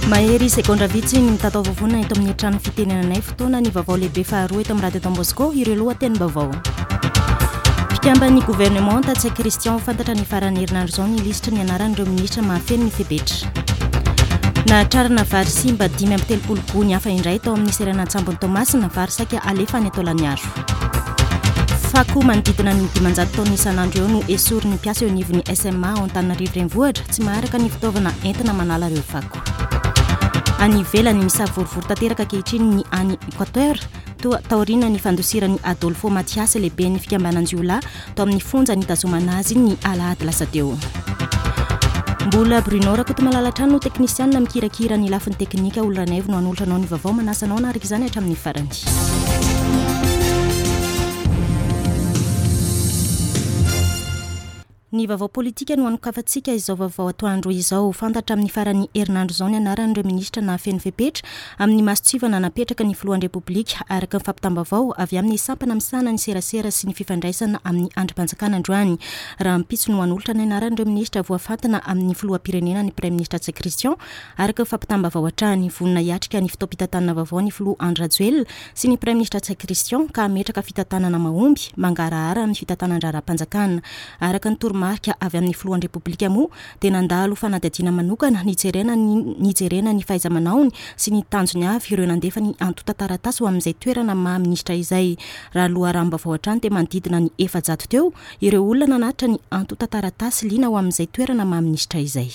Mahery segondra vitsy ny mitatao vovonana eto amin'ny trano fitenenanay fotoana ny vaovao lehibe faharoa eto amin'ny radio Don Bosco ireo lohatenim-baovao. Mpikamban'ny governemanta Ntsay Christian fantatra ny faran'ny herinandro izao ny lisitry ny anaran'ireo minisitra mahafeno ny fepetra. Nahatrarana vary simba 35 gony hafa indray tao amin'ny seranan-tsambon'i Toamasina, vary saika alefa any Taolagnaro. Fako manodidina ny 500 taonina isan'andro eo no esorin'ny mpiasa eo anivon'ny SMA ao Antananarivo Renivohitra, tsy maharaka ny fitaovana entina manala ireo fako. Any ivelany, misavorovoro tanteraka ankehitriny ny any Equateur, toa taorian'ny fandosiran'i Adolfo Matias lehiben'ny fikambanan-jiolahy tao amin'ny fonja nitazomana azy ny alahady lasa teo. Mbola Bruno Rakotomalala hatrany no teknisianina mikirakira ny lafiny teknika. Olo Ranaivo no hanolotra anao ny vaovao. Manasa anao hanaraka izany hatramin'ny farany. Ny vaovao politika no hanokafantsika izao vaovao atoandro izao. Fantatra amin'ny faran'ny herinandro izao ny anaran'ireo minisitra nahafeno fepetra amin'ny mason-tsivana napetraka ny filohan'ny Repoblika, araka ny fampitam-baovao avy amin'ny sampana misahana ny serasera sy ny fifandraisana amin'ny andrim-panjakana androany. Rahampitso no hanolotra ny anaran'ireo minisitra voafantina amin'ny filoham-pirenena ny Praiminisitra Ntsay Christian, araka ny fampitam-baovao hatrany. Vonona hiatrika ny fotoam-pitantanana vaovao ny filoha Andry Rajoelina sy ny Praiminisitra Ntsay Christian ka hametraka fitantanana mahomby, mangarahara amin'ny fitantanan-draharaham-panjakana. Araka ny toromarika avy amin'ny filohan'ny Repoblika moa dia nandalo fanadihadiana manokana nijerena ny nijerena ny fahaiza-manaony sy ny tanjony avy ireo nandefa ny antontan-taratasy ho amin'izay toerana maha minisitra izay. Raha loharanom-baovao hatrany dia manodidina ny 400 teo ireo olona nanatitra ny antontan-taratasy liana ho amin'izay toerana maha minisitra izay.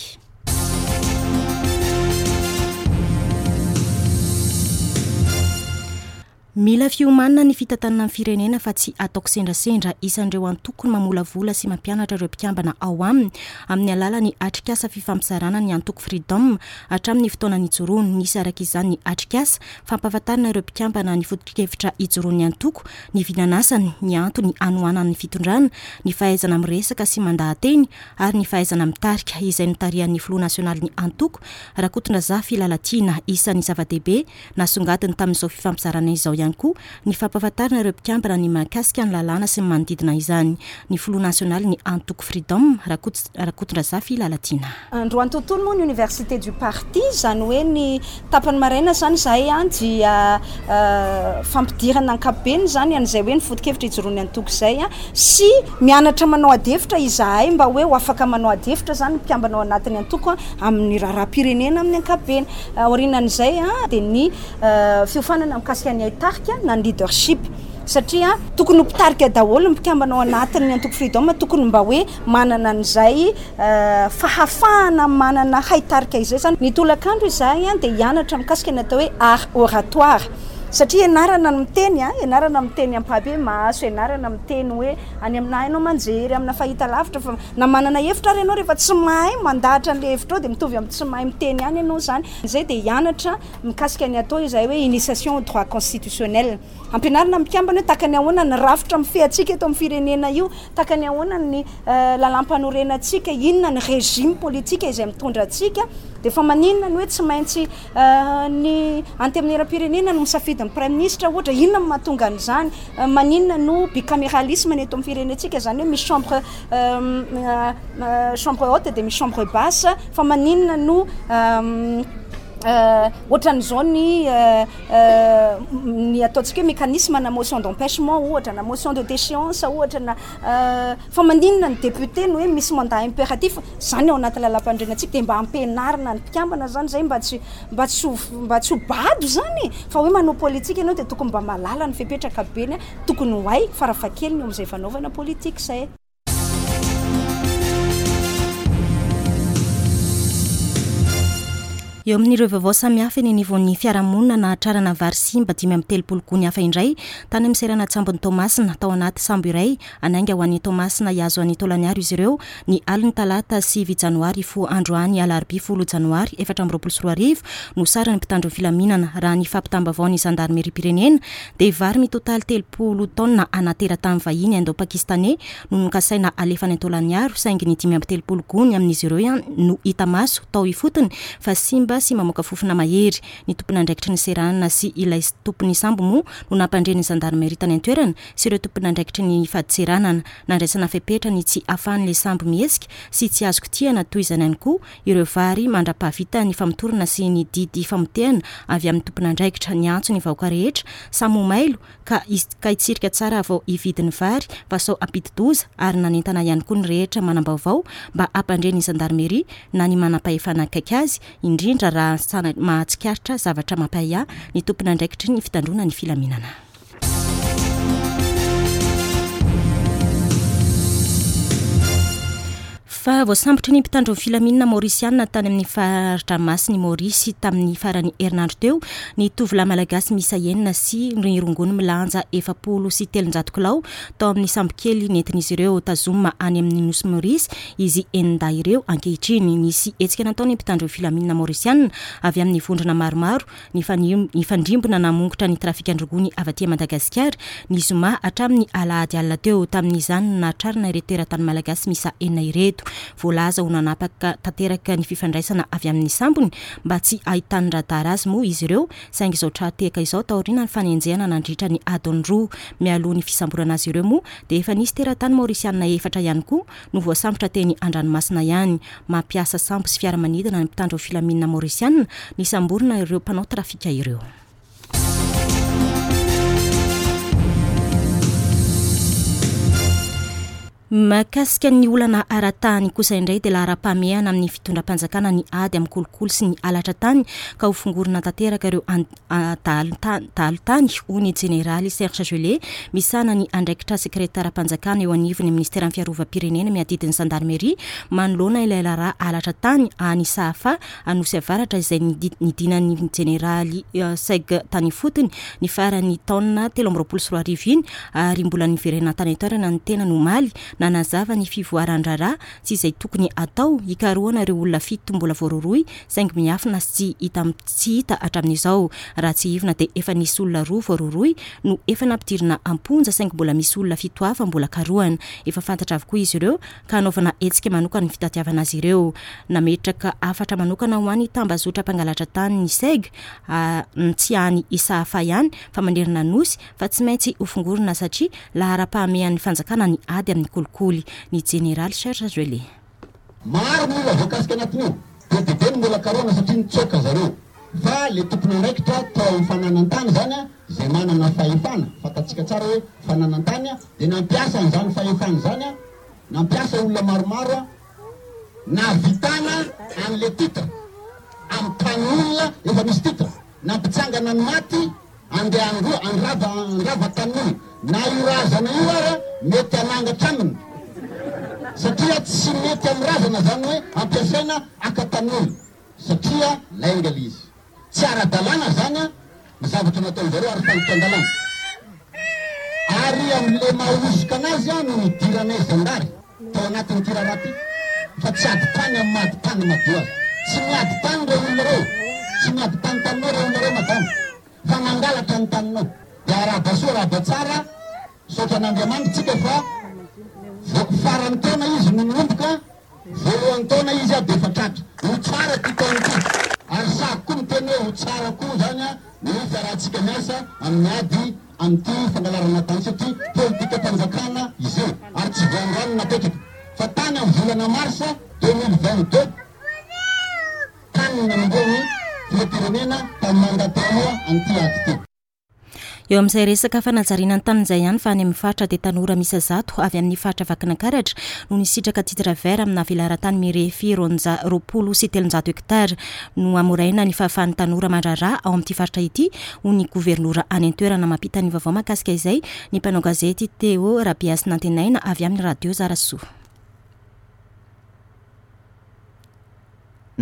Mila fiomanana ny fitantanana ny firenena fa tsy atao kisendrasendra. Isan'ireo antoko mamolavola sy mampianatra ireo mpikambana ao aminy amin'ny alalan'ny atrikasa fifampizarana ny antoko Freedom hatramin'ny fotoana nijoroany. Nisy araka izany ny atrikasa fampahafantarana ireo mpikambana ny foto-kevitra ijoroan'ny antoko, ny vinan'asany, ny antony hanohanany ny fitondrana, ny fahaizana miresaka sy mandaha-teny ary ny fahaizana mitarika izay notarihan'ny filoha nasionalin'ny antoko, Rakotondrazafy Lalatiana. Isan'ny zava-dehibe Nasongadiny tamin'izao fifampizarana izao ihany koa ny fampahafantarana ireo mpikambana ny mahakasika ny lalàna sy ny manodidina izany. Ny filoha nasionalin'ny antoko Freedom, Rakotondrazafy Lalatiana. Androany tontolo moa ny Université du Parti, izany hoe ny tapany maraina izany izahay dia fampidirana ankapobeny izany an'izay hoe ny foto-kevitra ijoroan'ny antoko izay sy mianatra manao adihevitra izahay mba hoe ho afaka manao adihevitra izany ny mpikambana ao anatin'ny antoko amin'ny raharaham-pirenena amin'ny ankapobeny. Aorianan'izay dia ny fiofanana mikasika ny haitarika na ny leadership satria tokony ho mpitarika daholo ny mpikambana ao anatin'ny antoko Freedom, tokony mba hoe manana an'izay fahafahana manana haitarika izay izany. Ny tolakandro izahay dia hianatra mikasika ny atao hoe art oratoire satria ianarana ny miteny, ianarana miteny ampahibemaso, ianarana miteny hoe any amina haino aman-jery, amina fahitalavitra fa Na manana hevitra ary ianao rehefa tsy mahay mandahatra an'ilay hevitrao dia mitovy amin'ny tsy mahay miteny ihany ianao izany. Izay dia hianatra mikasika ny atao izay hoe initiation au droit constitutionnel. Ampianarina ny mpikambana hoe tahaka ny ahoana ny rafitra mifehy antsika eto amin'ny firenena io, tahaka ny ahoana ny lalàmpanorenantsika, inona ny régime politique izay mitondra antsika. Dia fa maninona ny hoe tsy maintsy ny antenimierampirenena no misafidy ny praiminisitra ohatra, inona no mahatonga an'izany? Maninona no bicaméralisme ny eto amin'ny firenentsika, izany hoe misy chambre chambre haute dia misy chambre basse, fa maninona no ohatran'izao ny ny ataontsika hoe mécanisme na motion d'empêchement ohatra na motion de déchéance ohatra na fa maninona ny député no hoe misy mandat impératif, izany ao anaty lalàmpanorenantsika dia mba ampianarina ny mpikambana izany izay mba tsy mba tsy ho mba tsy ho bado izany e, fa hoe manao politika ianao dia tokony mba mahalala ny fepetra ankapobeny tokony ho hay farafahakeliny eo amin'izay fanaovana politika izay. Eo amin'ireo vaovao samihafa eny anivon'ny fiarahamonina nahatrarana vary simba 35 gony hafa indray tany amin'ny seranan-tsambon'i Toamasina tao anaty sambo iray hanainga ho any Toamasina hihazo an'i Taolagnaro izy ireo ny alin'ny talata 9 janoary hifoha androany alarobia 10 janoary 2024 no sarin'ny mpitandro ny filaminana. Raha ny fampitam-baovaon'ny zandarimeriam-pirenena dia vary mitotaly 30 taonina ana teratany vahiny Indo-Pakistanais no nokasaina alefa any Taolagnaro saingy ny 35 gony amin'izy ireo ihany no hita maso tao ifotony fa simba. simba sy mamoaka fofona mahery. Ny tompon'andraikitry ny seranana sy ilay tompon'ny sambo moa no nampandre ny zandarimeria tany an-toerana sy ireo tompon'andraikitry ny fadintseranana. Nandraisana fepetra ny tsy ahafahan'ilay sambo mihetsika sy tsy azo kitihana toy izany ihany koa ireo vary mandra-pahavita ny famotorana sy ny didy famotehana avy amin'ny tompon'andraikitra. Niantso ny vahoaka rehetra samy ho mailo ka ka hitsirika tsara vao hividy ny vary fa sao hampidi-doza ary nanentana ihany koa ny rehetra manam-baovao mba hampandre ny zandarmeria na ny manampahefana akaiky azy indrindra raha mahatsikaritra zavatra mampahiahy ny tompon'andraikitry ny fitandroana ny filaminana. Fa voasambotry ny mpitandro ny filaminana maorisianina tany amin'ny fari-dranomasin'i Maorisy tamin'ny faran'ny herinandro teo ny tovolahy malagasy miisa enina sy ny rongony milanja 340 kilao tao amin'ny sambokely nentin'izy ireo tazomina any amin'ny nosy Maorisy izy enin-dahy ireo ankehitriny. Nisy hetsika nataon'ny mpitandro ny filaminana maorisianina avy amin'ny vondrona maromaro Nifandrimbona namongotra ny trafikan-drongony avy aty Madagasikara ny zoma hatramin'ny alahady alina teo. Tamin'izany no nahatrarana ireto teratany malagasy miisa enina ireto. Voalaza ho nanapaka tanteraka ny fifandraisana avy amin'ny sambony mba tsy hahitan'ny radar azy moa izy ireo saingy izao tra-tehaka izao taoriana ny fanenjehana nandritra ny adiny roa. Mialoha ny fisamborana azy ireo moa dia efa nisy teratany maorisianina efatra ihany koa no voasambotra teny an-dranomasina ihany. Mampiasa sambo sy fiaramanidina ny mpitandro filaminana Maorisiana nisamborina ireo mpanao trafika ireo. Mahakasika ny olana ara-tany kosa indray dia laharam-pahamehana amin'ny fitondram-panjakana ny ady amin'ny kolikoly sy ny halatra tany ka ho fongorina tanteraka ireo dahalo tany, hoy ny jeneraly Serge Gellé, misahana ny andraikitra sekretaram-panjakana eo anivon'ny minisiteran'ny fiarovam-pirenena miadidy ny zandarmeria manoloana ilay raharaha halatra tany any Sahafa Anosy Avaratra izay nidinan'ny jeneraly Seg tany ifotony ny faran'ny taona 2023 iny ary mbola niverena tany an-toerana ny tenany omaly nanazava ny fivoaran-draharaha sy izay tokony atao hikarohana ireo olona fito mbola voarohirohy saingy miafina sy tsy hita tsy hita hatramin'izao. Raha tsiahivina dia efa nisy olona roa voarohirohy no efa nampidirina am-ponja saingy mbola misy olona fito hafa mbola karohana. Efa fantatra avokoa izy ireo ka hanaovana hetsika manokana ny fitadiavana azy ireo. Nametraka hafatra manokana ho an'ny tambazotra mpangalatra tany ny Seg, tsy any Isahafa ihany fa manerana ny Nosy fa tsy maintsy hofongorina satria laharam-pahamehan'ny fanjakana ny ady amin'ny kolikoly. Ny Jeneraly Serge Gellé. Maro ny olona voakasika anatin'io. Be dia be ny mbola karohana satria nitsoaka zareo. Fa le tompon'andraikitra tao amin'ny fananan-tany izany izay manana fahefana, fantatsika tsara hoe fananan-tany, dia nampiasa an'izany fahefana izany, nampiasa olona maromaro nahavitana an'le titre amin'ny tanin'olona efa misy titre, nampitsangana ny maty Andeha handroa, handrava, handrava tanin'olona. Na io razana io ara mety hanangatra aminy. Satria tsy mety amin'ny razana zany hoe ampiasaina haka tanin'olona. Satria lainga le izy. Tsy ara-dalàna zany ny zavatra nataon'zareo ary fandikan-dalàna. Ary amin'le maha hosoka anazy no nidiranay zandary tao anatin'ity raharaha ity. Fa tsy ady tany amin'ny maha ady tany madio azy. Tsy miady tany reo olona reo. Tsy miady tany taminao reo olona reo madama. Fa nangalatra ny taninao. Dia arahaba soa arahaba tsara, misaotra an'Andriamanitra tsika fa vao faran'ny taona izy no nanomboka, voalohan'ny taona izy dia efa tratra. Ho tsara ity taona ity. Ary sahako koa miteny hoe ho tsara koa izany ny fiarahantsika miasa amin'ny ady amin'ity fangalarana tany satria politikam-panjakana izy io ary tsy vao androany no napetraka fa tany amin'ny volana mars 2022. Tany no nanombohan'ny filoham-pirenena tamin'ny mandat teo an'ity ady ity. Eo amin'izay resaka fanajariana ny tany izay ihany fa any amin'ny faritra dia tanora miisa 100 avy amin'ny faritra Vakinankaratra no nisitraka titre vert amina velaran-tany mirefy 320 hectares. Nohamoraina ny fahafahan'ny tanora mandraharaha ao amin'ity faritra ity hoy ny governora any an-toerana. Mampita ny vaovao mahakasika izay ny mpanao gazety Théo Rabehasinantenaina avy amin'ny Radio Zarasoa.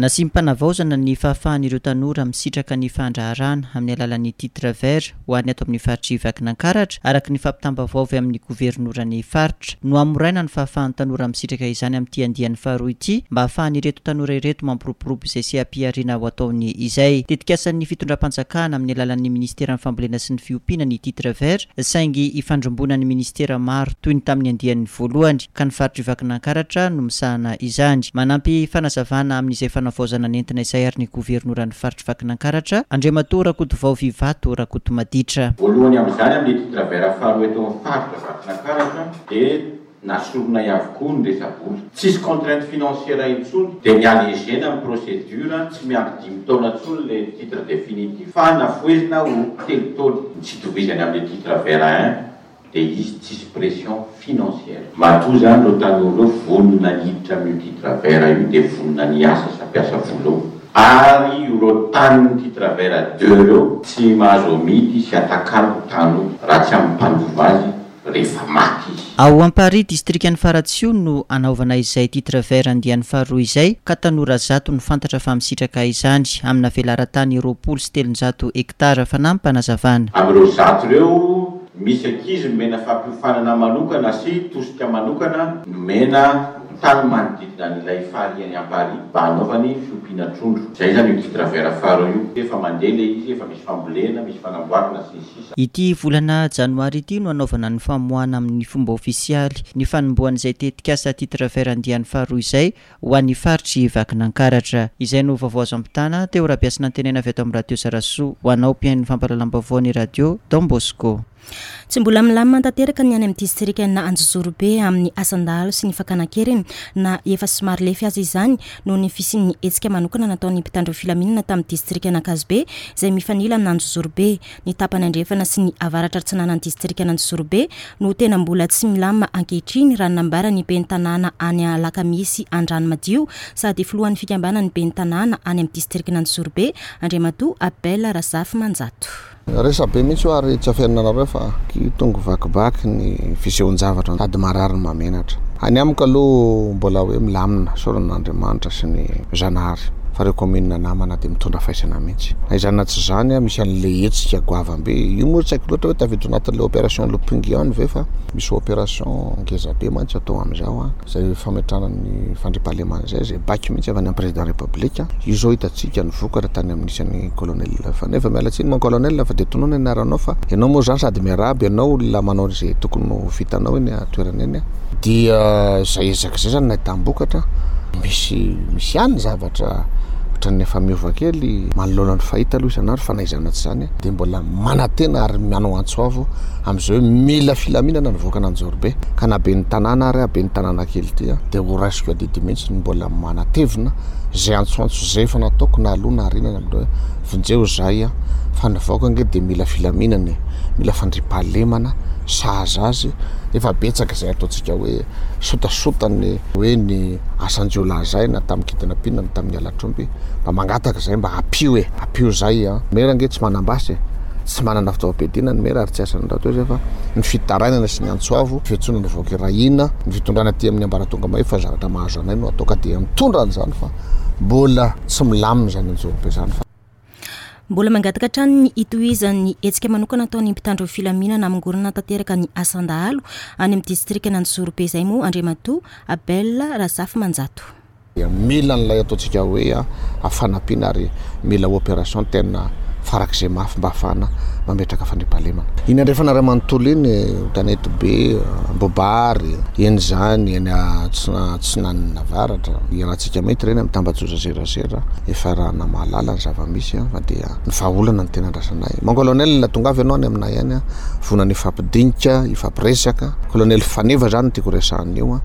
Nasiam-panavaozana ny fahafahan'ireo tanora misitraka ny fandraharahana amin'ny alalan'ny titre vert ho an'ny ato amin'ny faritr'i Vakinankaratra, araka ny fampitam-baovao avy amin'ny governoran'ny faritra. Nohamoraina ny fahafahan'ny tanora misitraka izany amin'ity andiany faharoa ity mba hahafahan'ireto tanora ireto mampiroborobo izay seha-pihariana ho ataony izay. Tetikasan'ny fitondram-panjakana amin'ny alalan'ny minisiteran'ny fambolena sy ny fiompiana ny titre vert saingy ifandrimbonan'ny minisitera maro toy ny tamin'ny andiany voalohany. ka ny faritr'i Vakinankaratra no misahana izany. Manampy fanazavana amin'izay. fanavaozana nentina izay ary ny governoran'ny faritr'i Vakinankaratra, Andriamatoa Rakotovao Vivato Rakotomaditra. Voalohany amin'izany amin'ny titre vert faharoa eto amin'ny faritra Vakinankaratra dia nasoronay avokoa ny resa-bola. Tsisy contrainte financière intsony dia ni-alléger-na ny procédure, tsy miandry dimy taona intsony ilay titre définitif fa nafohezina ho telo taona. Ny tsy itovizany amin'ilay titre vert un dia izy tsisy pression financière. Matoa izany ireo tanora ireo vonona ny hiditra amin'io titre vert io dia vonona ny hiasa sy hampiasa vola ao. Ary ireo tanin'ny titre vert deux ireo tsy mahazo amidy sy atakalo tany io raha tsy amin'ny mpandova azy rehefa maty izy. Ao Amparihy, distrikan'i Faratsiho no hanaovana izay titre vert andiany faharoa izay ka tanora zato no fantatra fa misitraka izany amina velaran-tany 320 hektara. Fanampim-panazavana. Amin'ireo zato ireo, misy ankizy nomena fampiofanana manokana sy tosika manokana nomena tany manodidina an'ilay farihy any Amparihy mba hanaovany fiompiana trondro. Izay izany io titre vert faharoa io. Efa mandeha ilay izy, efa misy fambolena, misy fanamboarana sy ny sisa. Ity volana janoary ity no hanaovana ny famoahana amin'ny fomba ofisialy ny fanombohan'izay tetikasa titre vert andiany faharoa izay ho an'ny faritr'i Vakinankaratra. Izay no vaovao azo ampitana teo Rabeasinantenaina avy ato amin'ny Radio Zarasoa ho anao mpihaino ny fampahalalam-baovao ny Radio Don Bosco. Tsy mbola milamina tanteraka ny any amin'ny distrikan'Anjozorobe amin'ny asan-dahalo sy ny fakana an-keriny na efa somary lefy aza izany noho ny fisian'ny hetsika manokana nataon'ny mpitandro filaminana tamin'ny distrikan'Ankazobe izay mifanila amin'Anjozorobe. Ny tapany andrefana sy ny avaratra atsinanan'ny distrikan'Anjozorobe no tena mbola tsy milamina ankehitriny raha ny nambaran'ny ben'ny tanàna any Alakamisy Andranomadio sady filohan'ny fikambanan'ny ben'ny tanàna any amin'ny distrikan'Anjozorobe, Andriamatoa Abel Razafimanjato. Resabe mihitsy io ary tsy afenina anareo fa tonga vakivaky ny fisehoan-javatra sady marary no mahamenatra. Any amiko aloha mbola hoe milamina, isaorana an'Andriamanitra sy ny Zanahary fa ireo commune namana dia mitondra faisana mihitsy. Na izany na tsy izany misy an'ilay hetsika goavam-be. Io moa tsy haiko loatra hoe tafiditra anatin'ilay opération Loping ihany ve fa misy opération ngeza be mantsy atao amin'izao. Izay fametrahana ny fandriampahalemana izay, izay baiko mihitsy avy any amin'ny président république. Io izao hitantsika ny vokatra tany amin'ny nisy an'i colonel Faneva. Miala tsiny mon colonel fa dia tonony ny anaranao fa ianao moa izany sady miarahaba ianao olona manao izay tokony ho vitanao eny an-toerana eny. Dia izay ezaka izay izany nahitam-bokatra. Misy misy ihany ny zavatra ohatran'ny efa miova kely manoloana ny fahita aloha isan'andro fa na izany na tsy izany dia mbola manantena ary manao antso avo amin'izay hoe mila filaminana ny vahoakan'Anjozorobe ka na ben'ny tanàna ary aho ben'ny tanàna kely ity dia ho raisiko adidy mihitsy ny mbola manatevina izay antsoantso izay efa nataoko na aloha na aoriana ny amin'ireo hoe vonjeo izahay fa ny vahoaka ange dia mila filaminana e, mila fandriampahalemana sahaza azy, efa betsaka izay ataontsika hoe sotasota ny hoe ny asan-jiolahy izay na tamin'ny kidnapping na tamin'ny halatr'omby, mba mangataka izay mba ampio e, ampio izay an, mera ange tsy manam-basy e. Tsy manana fitaovam-piadiana ny mera ary tsy asan'ny rahateo izay fa ny fitarainana sy ny antso avo, fiantsoana ny vahoaka iray hina, ny fitondrana aty amin'ny ambaratonga mahefa fa zavatra mahazo anay no atao ka dia mitondra an'izany fa mbola tsy milamina izany anjorobe izany fa. Mbola mangataka hatrany ny hitohizan'ny hetsika manokana ataon'ny mpitandro filaminana hamongorana tanteraka ny asan-dahalo any amin'ny distrikan'Anjozorobe izay moa Andriamatoa Abel Razafimanjato. Dia mila an'ilay ataontsika hoe fanampiana ary mila opération tena farak'izay mafy mba hahafahana mametraka fandriampahalemana. Iny andrefana iray manontolo iny, Tanetibe, Ambohibary, eny izany, eny Atsinanana Avaratra, iarahantsika mahita ireny amin'ny tambajotra serasera, efa iarahana mahalala ny zava-misy fa dia ny vahaolana no tena andrasanay. Mon colonel, tongava ianao any aminay any, vonona hifampidinika, hifampiresaka. Colonel Faneva izany no tiako resahana io.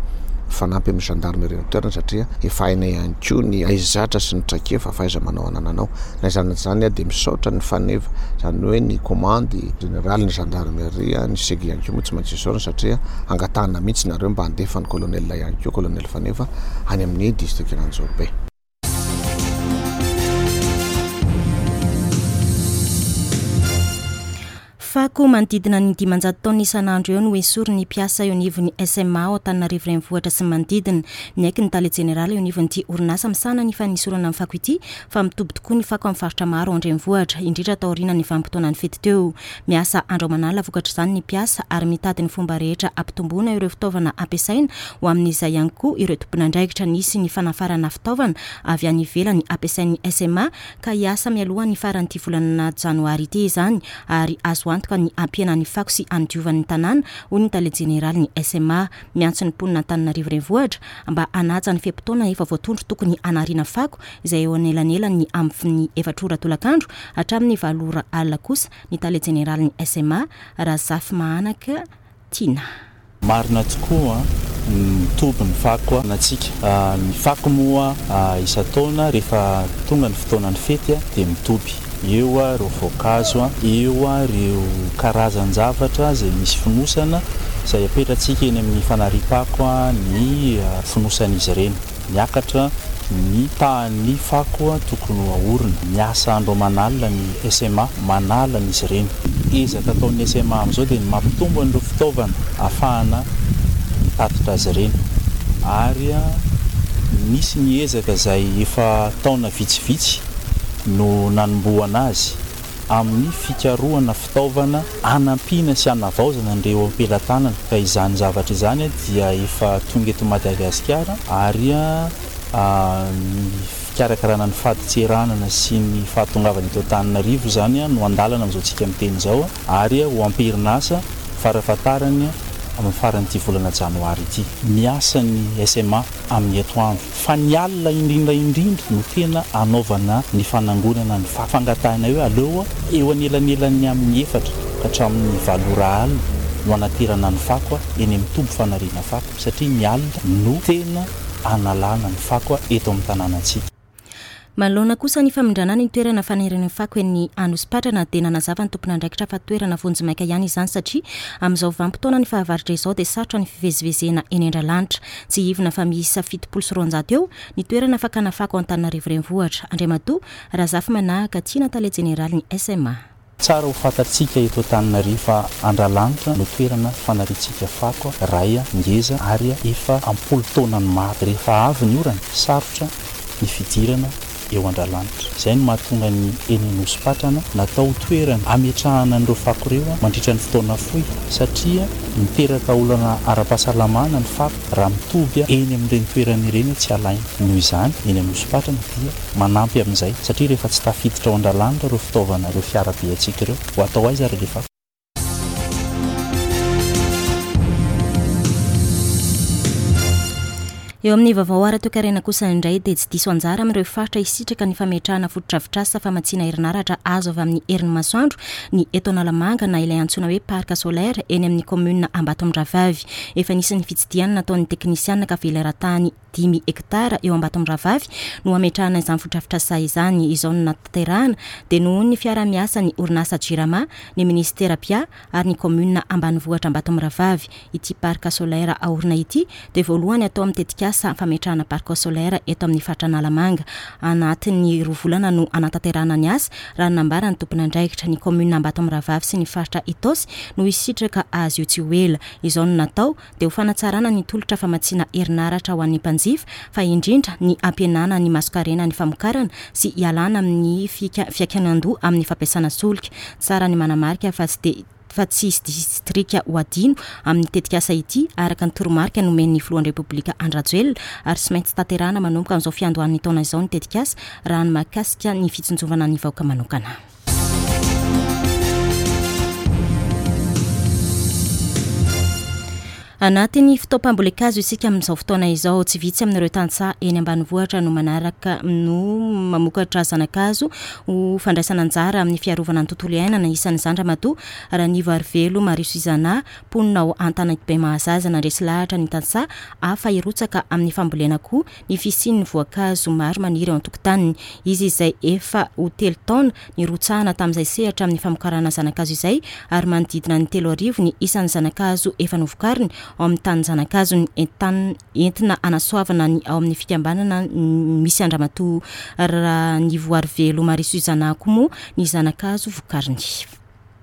Mifanampy amin'ny gendarmerie ny toerana satria efa hainay ihany koa ny haizatra sy ny traikefa fahaiza-manao anananao. Na izany na tsy izany dia misaotra ny faneva, izany hoe ny komandy jeneraly ny gendarmerie, ny seg ihany koa moa tsy maintsy isaorana satria angatahana mihitsy nareo mba handefa ny colonel ihany koa, colonel Faneva, any amin'ny distrikan'Anjorobe. Fako manodidina ny 500 taonina isan'andro eo no esorin'ny mpiasa eo anivon'ny SMA ao Antananarivo Renivohitra sy ny manodidina. Niaiky ny tale jeneraly eo anivon'ity orinasa misahana ny fanisorana ny fako ity fa mitoby tokoa ny fako amin'ny faritra maro ao an-drenivohitra, indrindra taorian'ny vanim-potoanan'ny fety teo. Miasa andro aman'alina vokatr'izany ny mpiasa ary mitady ny fomba rehetra hampitomboana ireo fitaovana ampiasaina ho amin'izay ihany koa ireo tompon'andraikitra. Nisy ny fanafarana fitaovana avy any ivelany ampiasain'ny SMA ka hiasa mialohan'ny faran'ity volana janoary ity izany ary azo antoka. antoka ny hampihena ny fako sy handiovany ny tanàna, hoy ny tale jeneralin'ny SMA. Miantso ny mponina Antananarivo Renivohitra mba hanaja ny fe-potoana efa voatondro tokony hanariana fako izay eo anelanelan'ny amin'ny efatra ora tolakandro hatramin'ny valo ora alina kosa ny tale jeneralin'ny SMA, Razafimahanaka Tiana. Marina tokoa mitoby ny fako antsika. Ny fako moa isan-taona rehefa tonga ny fotoanan'ny fety dia mitoby. Eo ireo voankazo, eo ireo karazan-javatra izay misy fonosana izay apetratsika eny amin'ny fanariam-pako ny fonosan'izy ireny. Miakatra ny tahan'ny fako tokony ho ahorina. Miasa andro aman'alina ny SMA manala an'izy ireny. Ezaka ataon'ny SMA amin'izao dia ny mampitombo an'ireo fitaovana ahafahana mitatitra azy ireny. Ary nisy ny ezaka izay efa taona vitsivitsy no nanombohana azy amin'ny fikarohana fitaovana hanampiana sy hanavaozana an'ireo eo am-pelatanana ka izany zavatra izany dia efa tonga eto Madagasikara ary ny fikarakarana ny fadintseranana sy ny fahatongavana eto Antananarivo izany no andalana amin'izao tsika miteny izao ary ho am-perinasa farafahatarany amin'ny faran'ity volana janoary ity. Miasa ny SMA amin'ny atoandro. Fa ny alina indrindra indrindra no tena anaovana ny fanangonana ny fako. Fangatahina hoe aleo eo anelanelan'ny amin'ny efatra ka hatramin'ny valo ora alina no anaterana ny fako eny amin'ny toby fanariana fako satria ny alina no tena analana ny fako eto amin'ny tanànantsika. Manoloana kosa ny famindrana ny toerana fanirian'ny fako eny Anosipatrana dia nanazava ny tompon'andraikitra fa toerana vonjimaika ihany izany satria amin'izao vanim-potoanan'ny fahavaratra izao dia sarotra ny fivezivezena eny Andralanitra. Tsiahivina fa miisa 270 eo ny toerana fakana fako ao Antananarivo Renivohitra. Andriamatoa Razafimanahaka Tiana Tale Jeneralin'ny SMA. Tsara ho fantatsika eto Antananarivo fa Andralanitra no toerana fanariantsika fako iray ngeza ary efa am-polo taonany maro. Rehefa avy ny orana, sarotra ny fidirana eo Andralanitra. Izay no mahatonga ny eny Anosipatrana natao ho toerana hametrahana an'ireo fako ireo mandritra ny fotoana fohy satria miteraka olana ara-pahasalamana ny fako raha mitoby eny amin'ireny toerana ireny tsy alaina. Noho izany, eny Anosipatrana dia. Manampy amin'izay, satria rehefa tsy tafiditra ao Andralanitra ireo fitaovana, ireo fiara be antsika ireo, ho atao aiza ary alefa? Eo amin'ny vaovao ara-toekarena kosa indray dia tsy diso anjara amin'ireo faritra hisitraka ny fametrahana fotodrafitrasa famatsiana herinaratra azo avy amin'ny herin'ny masoandro ny eto Analamanga na ilay antsoina hoe parc solaire eny amin'ny kaominina Ambatomirahavavy. Efa nisy ny fitsidihana nataon'ny teknisiana ka velaran-tany dimy hektara eo Ambatomirahavavy no hametrahana izany fotodrafitrasa izany. Izao no natanterahana dia noho ny fiaraha-miasan'ny orinasa Jirama, ny minisitera Pia ary ny kaominina ambanivohitra Ambatomirahavavy. Ity parc solaire aorina ity dia voalohany atao amin'ny tetikasa fametrahana parc solaire eto amin'ny faritra Analamanga. Anatin'ny roa volana no hanatanterahana ny asa, raha ny nambaran'ny tompon'andraikitra. Ny kaominina Ambatomirahavavy sy ny faritra Itaosy no hisitraka azy io tsy ho ela. Izao no natao dia ho fanatsarana ny tolotra famatsiana herinaratra ho an'ny mpanjifa fa indrindra ny hampihenana ny masonkarena ny famokarana sy hialana amin'ny fiankinandoha amin'ny fampiasana solika. Tsara ny manamarika fa tsy dia fa tsy hisy distrika ho adino amin'ny tetikasa ity araka ny toromarika nomen'ny filohan'ny Repoblika Andry Rajoelina ary tsy maintsy tanterahana manomboka amin'izao fiandohan'ny taona izao ny tetikasa raha ny mahakasika ny fitsinjovana ny vahoaka manokana. Anatin'ny fotoam-pambolen-kazo isika amin'izao fotoana izao. Tsy vitsy amin'ireo tantsaha eny ambanivohitra no manaraka no mamokatra zana-kazo ho fandraisana anjara amin'ny fiarovana ny tontolo iainana. Isan'izany Ramatoa Ranivoarivelo Marie Suzanna, mponina ao Antanankibe Mahazaza. Nandresy lahatra ny tantsaha hafa hirotsaka amin'ny fambolena koa ny fisian'ny voankazo maro maniry ao an-tokotaniny. Izy izay efa ho telo taona nirotsahana tamin'izay sehatra amin'ny famokarana zana-kazo izay ary manodidina ny 3000 ny isan'ny zana-kazo efa novokariny ao amin'ny tanin-jana-kazony. Entanina entina hanasoavana ny ao amin'ny fikambanana misy an-dRamatoa Ranivoarivelo Marie Suzanna koa moa ny zana-kazo vokariny.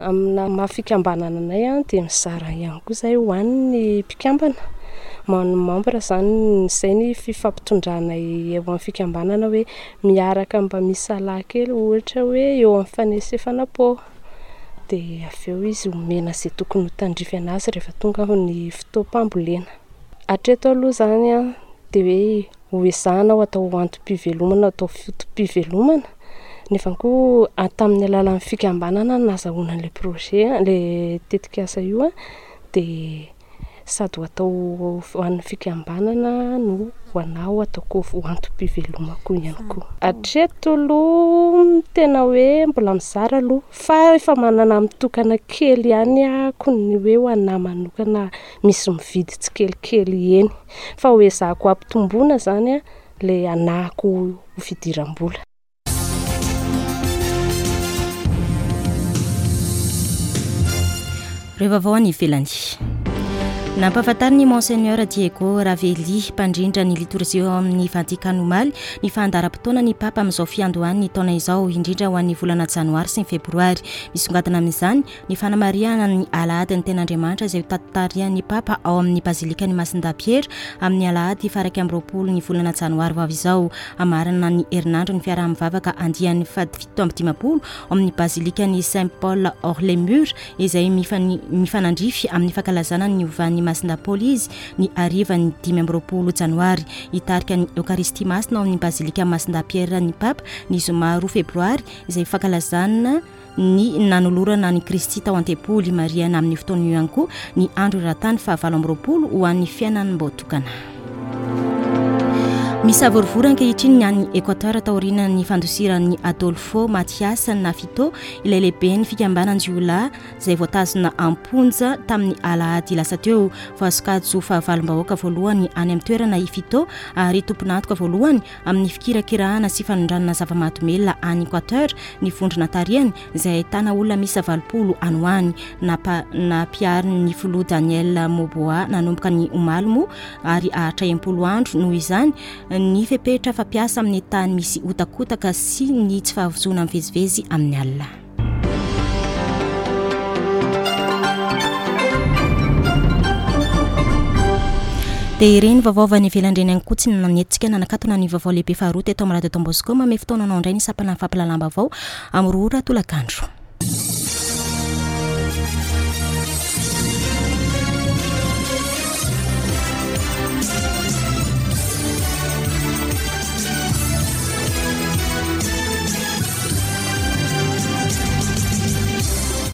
Amina maha fikambanana anay dia mizara ihany koa izahay ho an'ny mpikambana, ho an'ny membre izany, izay ny fifampitondranay eo amin'ny fikambanana hoe miaraka mba misalahy kely ohatra hoe eo amin'ny fanesefana pô dia avy eo izy omena izay tokony ho tandrify an'azy rehefa tonga ny fotoam-pambolena. Hatreto aloha izany dia hoe Ho ezahana ho atao antom-pivelomana, atao foto-pivelomana. Nefa koa tamin'ny alalan'ny fikambanana no nahazahoana an'ilay projet, ilay tetikasa io dia sady ho atao ho an'ny fikambanana no ho anà ho ataoko ho antom-pivelomako ihany koa. Hatreto aloha tena hoe mbola mizara aloha fa efa manana mitokana kely ihany ahako ny hoe ho anà manokana misy mividy tsikelikely eny fa ho ezahako hampitomboina izany ilay anahako ho fidiram-bola. Ireo vaovao any ivelany. Nampahafantarin'i Monseigneur Diego Ravelli, mpandrindra ny litorjia ao amin'ny Vatikana omaly, ny fandaharam-potoana ny Papa amin'izao fiandohan'ny taona izao, indrindra ho an'ny volana janoary sy ny febroary. Misongadina amin'izany ny fanamarihana ny Alahadin'ny Ten'Andriamanitra izay hotantarihan'ny Papa ao amin'ny Bazilikan'i Masindahy Piera amin'ny alahady faha-21 ny volana janoary ho avy izao. Hamarana ny herinandro ny fiaraha-mivavaka andiany faha-57 ao amin'ny Bazilikan'i Saint Paul hors les Murs izay mifanandrify amin'ny fankalazana ny niovan'i Masindahy Paoly izy ny harivan'ny 25 janoary. Hitarika ny Eokaristia Masina ao amin'ny Bazilikan'i Masindahy Piera ny Papa ny zoma 2 febroary izay fankalazana ny nanolorana an'i Kristy tao an-tempoly. Marihana amin'io fotoana io ihany koa ny andro eran-tany faha-28 ho an'ny fiainan'ny-mbaotokana. Misavorovoro ankehitriny ny any Equateur taorian'ny fandosiran'i Adolfo Matias Nafito, ilay lehiben'ny fikambanan-jiolahy izay voatazona am-ponja tamin'ny alahady lasa teo. Voasokajy ho fahavalom-bahoaka voalohany any amin'ny toerana i Fito ary tompon'antoka voalohany amin'ny fikirakirahana sy fanondranana zava-mahadomelina any Equateur ny vondrona tarihany izay ahitana olona miisa 80 any ho any. Nampiharin'ny filoha Daniel Noboa nanomboka ny omaly moa ary haharitra 60 andro noho izany ny fepetra fampiasa amin'ny tany misy hotakotaka sy ny tsy fahazoana mivezivezy amin'ny alina. Dia ireny vaovao avy any ivelany ireny ihany koa tsy nanetsika nanakatona ny vaovao lehibe faharoa teto amin'ny Radio Don Bosco. Mamehy fotoana anao indray ny sampana fampahalalam-baovao amin'ny roa ora tolakandro.